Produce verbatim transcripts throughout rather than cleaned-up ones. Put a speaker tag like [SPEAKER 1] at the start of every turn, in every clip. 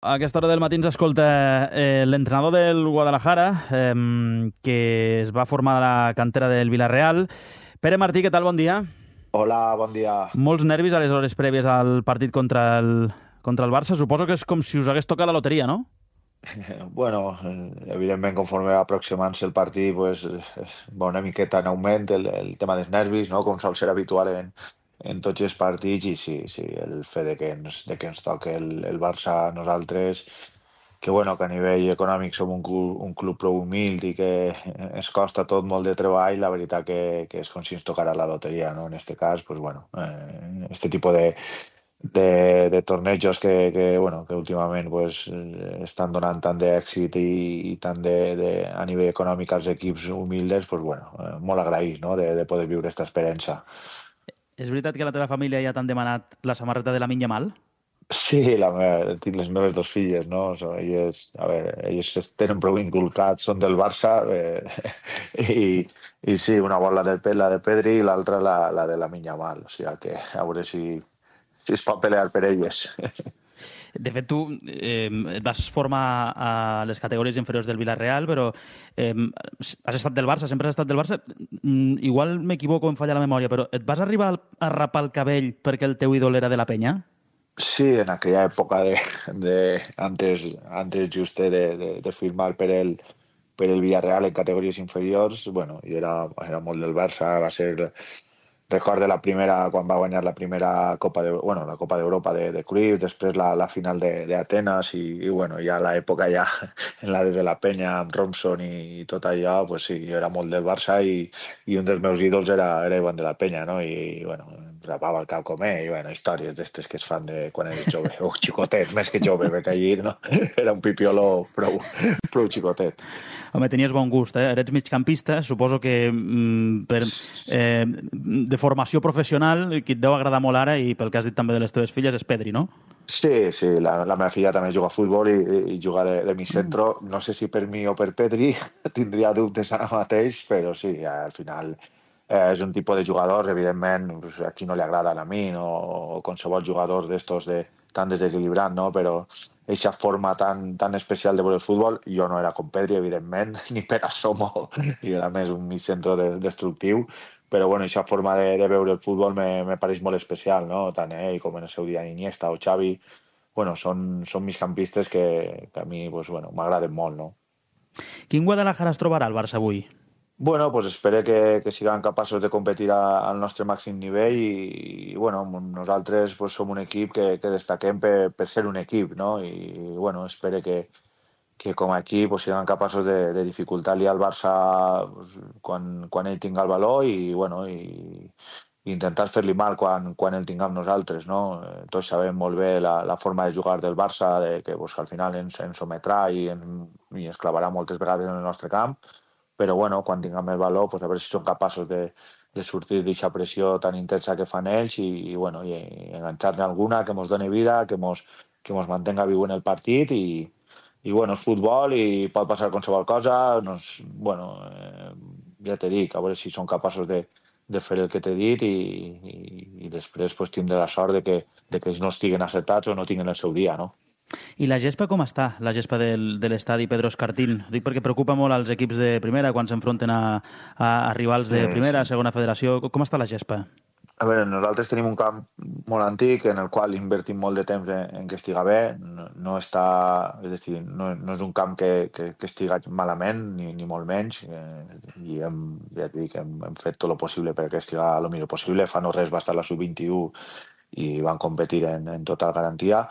[SPEAKER 1] A aquesta hora del matí ens escolta eh, l'entrenador del Guadalajara, eh, que es va formar a la cantera del Villarreal. Pere Martí, què tal? Bon dia.
[SPEAKER 2] Hola, bon dia.
[SPEAKER 1] Molts nervis a les hores prèvies al partit contra el, contra el Barça. Suposo que és com si us hagués tocat la loteria, no?
[SPEAKER 2] Bueno, eh, evidentment, conforme va aproximant-se el partit, pues, eh, va una miqueta en augment el, el tema dels nervis, no? Com sol ser habitual en, en tots els partits, i sí, sí, el fet de que ens, de que ens toque el, el Barça a nosaltres, que bueno, que a nivell econòmic som un, clu- un club prou humil i que ens costa tot molt de treball, la veritat que, que és com si ens tocara la loteria, no? En este cas, pues bueno, eh, este tipo de de, de tornejos que, que, bueno, que últimament pues, eh, estan donant tant d'èxit i, i tant de, de, a nivell econòmic als equips humildes, pues, bueno, eh, molt agraït, no? de, de poder viure aquesta experiència.
[SPEAKER 1] És veritat que a la teva família ja t'han demanat la samarreta de Lamine Yamal?
[SPEAKER 2] Sí, la meva, tinc les meves dos filles, no? So, elles, a veure, elles es tenen prou inculcats, són del Barça, eh, i, i sí, una vol la del, Pe- la de Pedri i l'altra la, la de la Yamal, o sigui que a veure si, si es pot pelear per elles.
[SPEAKER 1] De fet, tu eh, et vas formar a les categories inferiors del Villarreal, però eh, has estat del Barça, sempre has estat del Barça. Mm, igual m'equivoco, em falla la memòria, però et vas arribar a rapar el cabell perquè el teu ídol era de la penya?
[SPEAKER 2] Sí, en aquella època de, de antes, antes just de, de, de firmar per el, per el Villarreal en categories inferiors, bueno, i era, era molt del Barça, va ser, recordo la primera, quan va guanyar la primera Copa de, bueno, la Copa d'Europa de, de Cruyff, després la, la final de, de Atenas i, i bueno, ja l'època ja en la de la Penya amb Robson i, i tot allò, pues sí, jo era molt del Barça i, i un dels meus ídols era, era Ivan de la Penya, no? I, i bueno, em rapava el cap com ell, i bueno, històries d'estes que es fan de quan eres jove, o xicotet, més que jove, perquè allí no? Era un pipiolo prou, prou xicotet.
[SPEAKER 1] Home, tenies bon gust, eh? Eres migcampista, suposo que mm, per, eh, de formació professional, qui et deu agradar molt ara, i pel que has dit també de les teves filles, és Pedri, no?
[SPEAKER 2] Sí, sí, la, la meva filla també juga a futbol i, i juga de, de mi centro. No sé si per mi o per Pedri, tindria dubtes ara mateix, però sí, al final eh, és un tipus de jugadors, evidentment, pues, a qui no li agrada a mi, no? O qualsevol jugador d'estos de, tan desequilibrat, no? Però aquesta forma tan, tan especial de veure el futbol, jo no era com Pedri, evidentment, ni per asomo, i era més un mig centre de, destructiu, però bueno, aquesta forma de, de veure el futbol me, me pareix molt especial, no? Tant ell com en el seu dia Iniesta o Xavi, bueno, són, són migcampistes que, que a mi pues, bueno, m'agraden molt, no?
[SPEAKER 1] Quin Guadalajara es trobarà el Barça avui?
[SPEAKER 2] Bueno, pues espero que, que siguem capaços de competir a, al nostre màxim nivell i, i bueno, nosaltres pues, som un equip que, que destaquem per, per ser un equip, no? I, bueno, espero que, que com a equip pues, siguem capaços de, de dificultar-li al Barça pues, quan, quan ell tinga el valor i, bueno, i, i intentar fer-li mal quan, quan el tinguem nosaltres, no? Eh, Tots sabem molt bé la, la forma de jugar del Barça, de que pues, al final ens, ens sometrà i, en, i ens clavarà moltes vegades en el nostre camp, però bueno, quan tinguem el valor, pues, a veure si som capaços de, de sortir d'aquesta pressió tan intensa que fan ells i, i, bueno, i, i enganxar-ne alguna que ens doni vida, que ens que mos mantenga viu en el partit i, i bueno, és futbol i pot passar qualsevol cosa, doncs, bueno, eh, ja t'he dit, a veure si són capaços de, de fer el que t'he dit i, i, i després pues, tindré la sort de que, de que ells no estiguen acertats o no tinguin el seu dia, no?
[SPEAKER 1] I la gespa com està, la gespa del, de l'estadi Pedro Escartín? Dic perquè preocupa molt als equips de primera quan s'enfronten a, a, a rivals de
[SPEAKER 2] Sí,
[SPEAKER 1] primera,
[SPEAKER 2] sí.
[SPEAKER 1] segona federació. Com està la gespa?
[SPEAKER 2] A veure, nosaltres tenim un camp molt antic en el qual invertim molt de temps en, en que estiga bé. No, no està, és a dir, no, no és un camp que, que, que estiga malament, ni, ni molt menys. Eh, I hem, ja et dic, hem, hem fet tot el possible perquè estiga el millor possible. Fa no res va estar la sub vint-i-u i van competir en, en total garantia.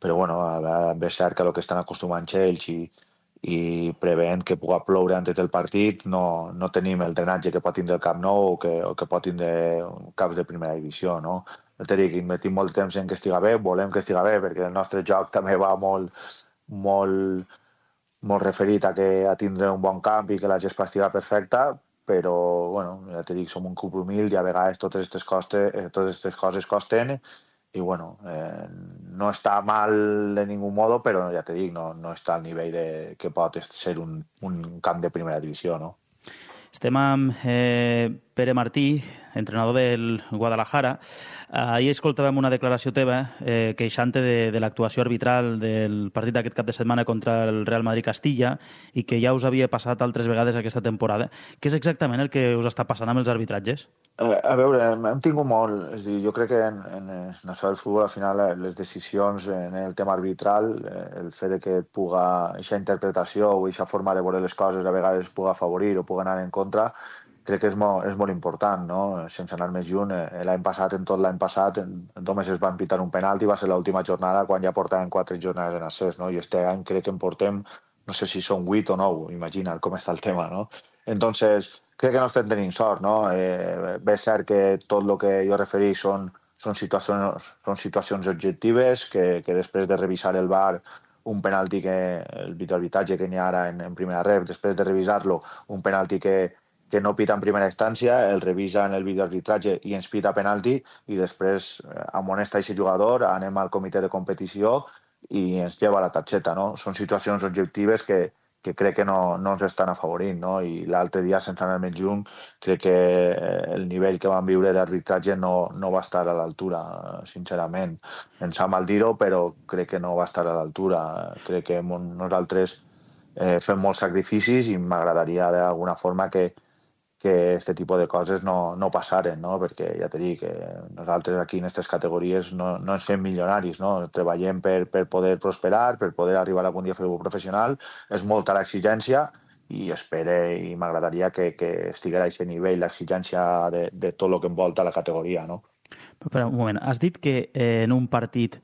[SPEAKER 2] Però bueno, a veure, és cert que el que estan acostumats ells i, i preveient que pugui ploure antes del partit, no, no tenim el drenatge que pot tindre el Camp Nou o que, o que pot tindre caps de primera divisió, no? Jo t'he dit que invertim molt temps en que estiga bé, volem que estiga bé, perquè el nostre joc també va molt, molt, molt referit a, que, a tindre un bon camp i que la gespa estiga perfecta, però, bueno, ja t'he dit, som un club humil i a vegades totes aquestes, costes, eh, totes aquestes coses costen i bueno, eh, no està mal de ningú modo, però ja te dic, no, no està al nivell de, que pot ser un, un camp de primera divisió, no?
[SPEAKER 1] Estem amb eh, Pere Martí, entrenador del Guadalajara. Ahir escoltàvem una declaració teva eh, queixant-te de, de l'actuació arbitral del partit d'aquest cap de setmana contra el Real Madrid-Castilla i que ja us havia passat altres vegades aquesta temporada. Què és exactament el que us està passant amb els arbitratges?
[SPEAKER 2] A veure, hem tingut molt. És dir, jo crec que en, en, en això del futbol, al final, les decisions en el tema arbitral, el fet de que et puga, aquesta interpretació o aquesta forma de veure les coses a vegades puga afavorir o puga anar en contra, crec que és molt, és molt important, no? Sense anar més lluny, l'any passat, en tot l'any passat, només es van pitar un penalti, va ser l'última jornada quan ja portaven quatre jornades en accés, no? I este any crec que en portem, no sé si són vuit o nou, imagina't com està el tema, no? Entonces, crec que no estem tenint sort, no? Eh, bé, és cert que tot el que jo referís són, són, situacions, són situacions objectives, que, que després de revisar el V A R, un penalti que, el videoarbitratge que n'hi ha ara en, en primera ref, després de revisar-lo, un penalti que que no pita en primera instància, el revisa en el videoarbitratge i ens pita penalti i després amonesta aquest jugador, anem al comitè de competició i ens lleva la targeta, no? Són situacions objectives que, que crec que no, no ens estan afavorint, no? I l'altre dia, sense anar més lluny, crec que el nivell que vam viure d'arbitratge no, no va estar a l'altura, sincerament. Em sap mal dir-ho, però crec que no va estar a l'altura. Crec que nosaltres eh, fem molts sacrificis i m'agradaria d'alguna forma que que aquest tipus de coses no, no passaren, no? Perquè ja t'he dit que nosaltres aquí en aquestes categories no, no ens fem milionaris, no? Treballem per, per poder prosperar, per poder arribar algun dia a fer un professional, és molta l'exigència i espero i m'agradaria que, que estigués a aquest nivell l'exigència de, de tot el que envolta la categoria, no?
[SPEAKER 1] Però un moment, has dit que eh, en un partit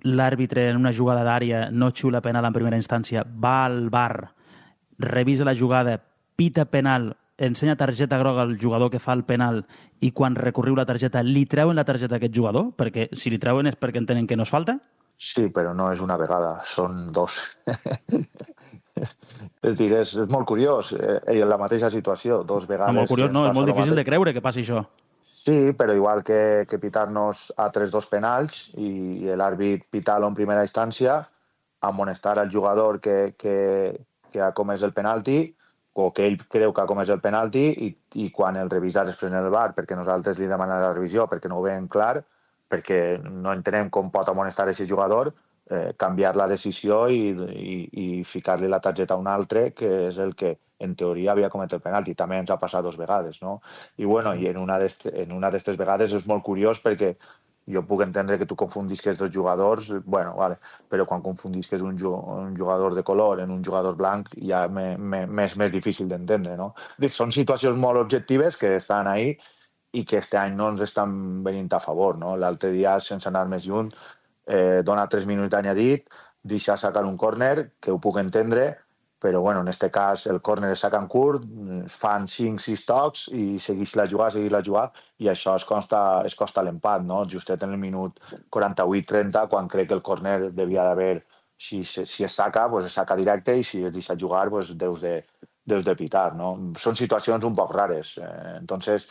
[SPEAKER 1] l'àrbitre en una jugada d'àrea no xiula penal en primera instància, va al V A R, revisa la jugada, pita penal, ensenya targeta groga al jugador que fa el penal i quan recorriu la targeta li treuen la targeta a aquest jugador? Perquè si li treuen és perquè entenen que no és falta?
[SPEAKER 2] Sí, però no és una vegada, són dos. És dir, és, és molt curiós, eh, la mateixa situació, dos vegades...
[SPEAKER 1] No, molt curiós, no, és molt difícil de creure que passi això.
[SPEAKER 2] Sí, però igual que, que pitar-nos a tres dos penals i l'àrbit pitar-lo en primera instància, amonestar al jugador que, que, que ha comès el penalti o que ell creu que ha comès el penalti i, i quan el revisa després en el V A R, perquè nosaltres li demanem la revisió, perquè no ho veiem clar, perquè no entenem com pot amonestar aquest jugador, eh, canviar la decisió i, i, i ficar-li la targeta a un altre, que és el que en teoria havia comès el penalti. També ens ha passat dues vegades, no? I, bueno, i en una d'aquestes vegades és molt curiós perquè jo puc entendre que tu confundisques dos jugadors, bueno, vale, però quan confundisques un, un jugador de color en un jugador blanc ja m'és més difícil d'entendre, no? Són situacions molt objectives que estan ahí i que este any no ens estan venint a favor, no? L'altre dia, sense anar més lluny, eh, dona tres minuts d'anyadit, deixa sacar un córner, que ho puc entendre, però bueno, en aquest cas el córner es saca en curt, fan cinc sis tocs i segueix la jugada, segueix la jugada, i això es costa, es costa l'empat, no? Justet en el minut quaranta-vuit trenta, quan crec que el córner devia d'haver, si, si es saca, pues es saca directe, i si es deixa jugar, pues deus de, deus de pitar, no? Són situacions un poc rares. Eh, entonces,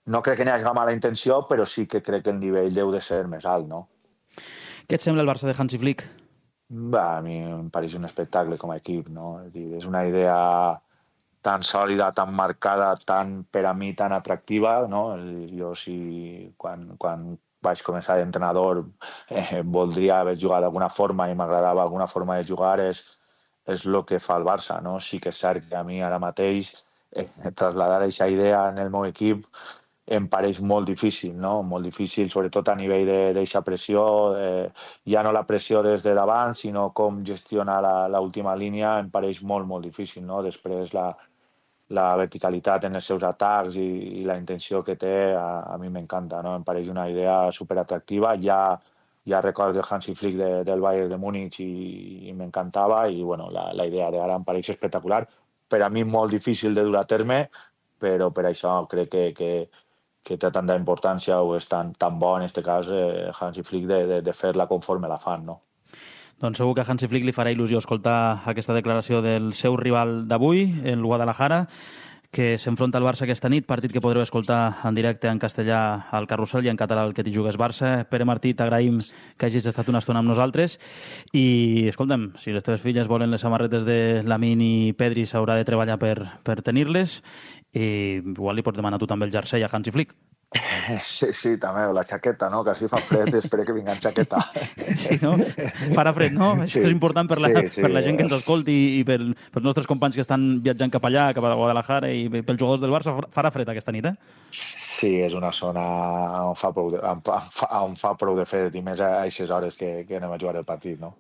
[SPEAKER 2] no crec que n'hi hagi mala intenció, però sí que crec que el nivell deu de ser més alt, no?
[SPEAKER 1] Què et sembla el Barça de Hansi Flick?
[SPEAKER 2] Va, a mi em pareix un espectacle com a equip, no? És dir, és una idea tan sòlida, tan marcada, tan, per a mi, tan atractiva, no? Jo, si quan, quan vaig començar d'entrenador eh, voldria haver jugat d'alguna forma i m'agradava alguna forma de jugar, és, és el que fa el Barça, no? Sí que és cert que a mi ara mateix eh, traslladar aquesta idea en el meu equip em pareix molt difícil, no? Molt difícil, sobretot a nivell d'aquesta pressió, eh, ja no la pressió des de davant, sinó com gestionar l'última línia, em pareix molt, molt difícil, no? Després la, la verticalitat en els seus atacs i, i la intenció que té, a, a mi m'encanta, no? Em pareix una idea superatractiva, ja, ja recordo el Hansi Flick de, del Bayern de Múnich i, i m'encantava, i bueno, la, la idea d'ara em pareix espectacular, per a mi molt difícil de dur a terme, però per això crec que, que que té tanta importància o és tan, tan bo, en aquest cas, eh, Hansi Flick, de, de, de fer-la conforme la fan, no?
[SPEAKER 1] Doncs segur que a Hansi Flick li farà il·lusió escoltar aquesta declaració del seu rival d'avui, el Guadalajara, que s'enfronta al Barça aquesta nit, partit que podreu escoltar en directe en castellà al Carrusel i en català al Que t'hi jugues Barça. Pere Martí, t'agraïm que hagis estat una estona amb nosaltres i, escolta'm, si les teves filles volen les samarretes de Lamin i Pedri s'haurà de treballar per, per tenir-les i igual li pots demanar tu també el jersei a Hansi Flick.
[SPEAKER 2] Sí, sí, també, la xaqueta, no? Que així fa fred i espero que vinga en xaqueta.
[SPEAKER 1] Sí, no? Farà fred, no? Això
[SPEAKER 2] Sí,
[SPEAKER 1] és important per la,
[SPEAKER 2] sí, sí.
[SPEAKER 1] per la gent que ens escolti i per, pels nostres companys que estan viatjant cap allà, cap a Guadalajara i pels jugadors del Barça. Farà fred aquesta nit, eh?
[SPEAKER 2] Sí, és una zona on fa prou de, on fa, on fa prou de fred i més a aquestes hores que, que anem a jugar el partit, no?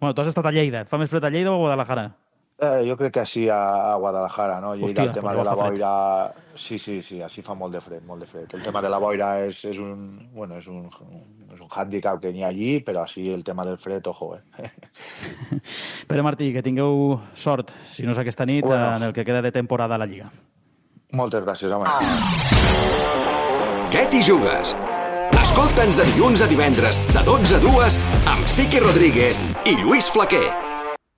[SPEAKER 1] Bueno, tu has estat a Lleida. Fa més fred a Lleida o a Guadalajara?
[SPEAKER 2] Eh, jo crec que així a, a Guadalajara, no? Lleida,
[SPEAKER 1] Hòstia,
[SPEAKER 2] el tema
[SPEAKER 1] pues
[SPEAKER 2] de la
[SPEAKER 1] fa fred.
[SPEAKER 2] boira... Sí, sí, sí, així fa molt de fred, molt de fred. El tema de la boira és, és un, bueno, és un, és un handicap que n'hi ha allí, però així el tema del fred, ojo, eh?
[SPEAKER 1] Pere Martí, que tingueu sort, si no és aquesta nit,
[SPEAKER 2] Bueno.
[SPEAKER 1] en el que queda de temporada a la Lliga.
[SPEAKER 2] Moltes gràcies, home.
[SPEAKER 3] Què t'hi jugues? Escolta'ns de dilluns a divendres, de dotze a dues, amb Siqui Rodríguez i Lluís Flaquer.